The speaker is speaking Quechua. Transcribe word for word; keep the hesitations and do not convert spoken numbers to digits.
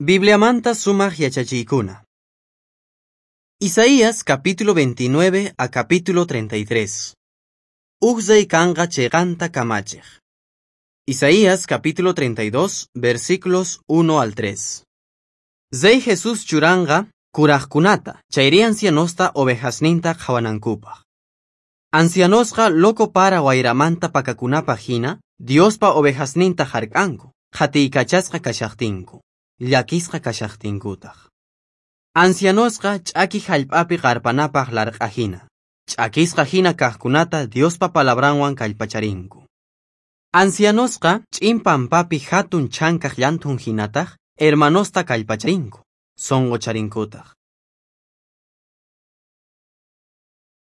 Bibliamanta sumaq yachachiykuna. Isaías capítulo veintinueve a capítulo treinta y tres. Uj rey kanqa cheqanta kamachiq. Isaías capítulo treinta y dos, versículos uno al tres. Rey Jesús churanqa kuraqkunata, chayri ancianosta ovejasninta qhawanankupaq. Ancianosqa loco para wayramanta pakakunapaq hina, Diospa ovejasninta hark'anku, qhatiykachasqa kashaqtinku, llakisqa kashaqtinkutaq. Ancianosqa ch'aki hallp'api qarpanapaq larq'a hina, ch'akisqa hina kaqkunata Diospa palabranwan kallpacharinku. Ancianosqa ch'in pampapi hatun chhankaq llanthun hinataq hermanosta kallpacharinku, sunqucharinkutaq.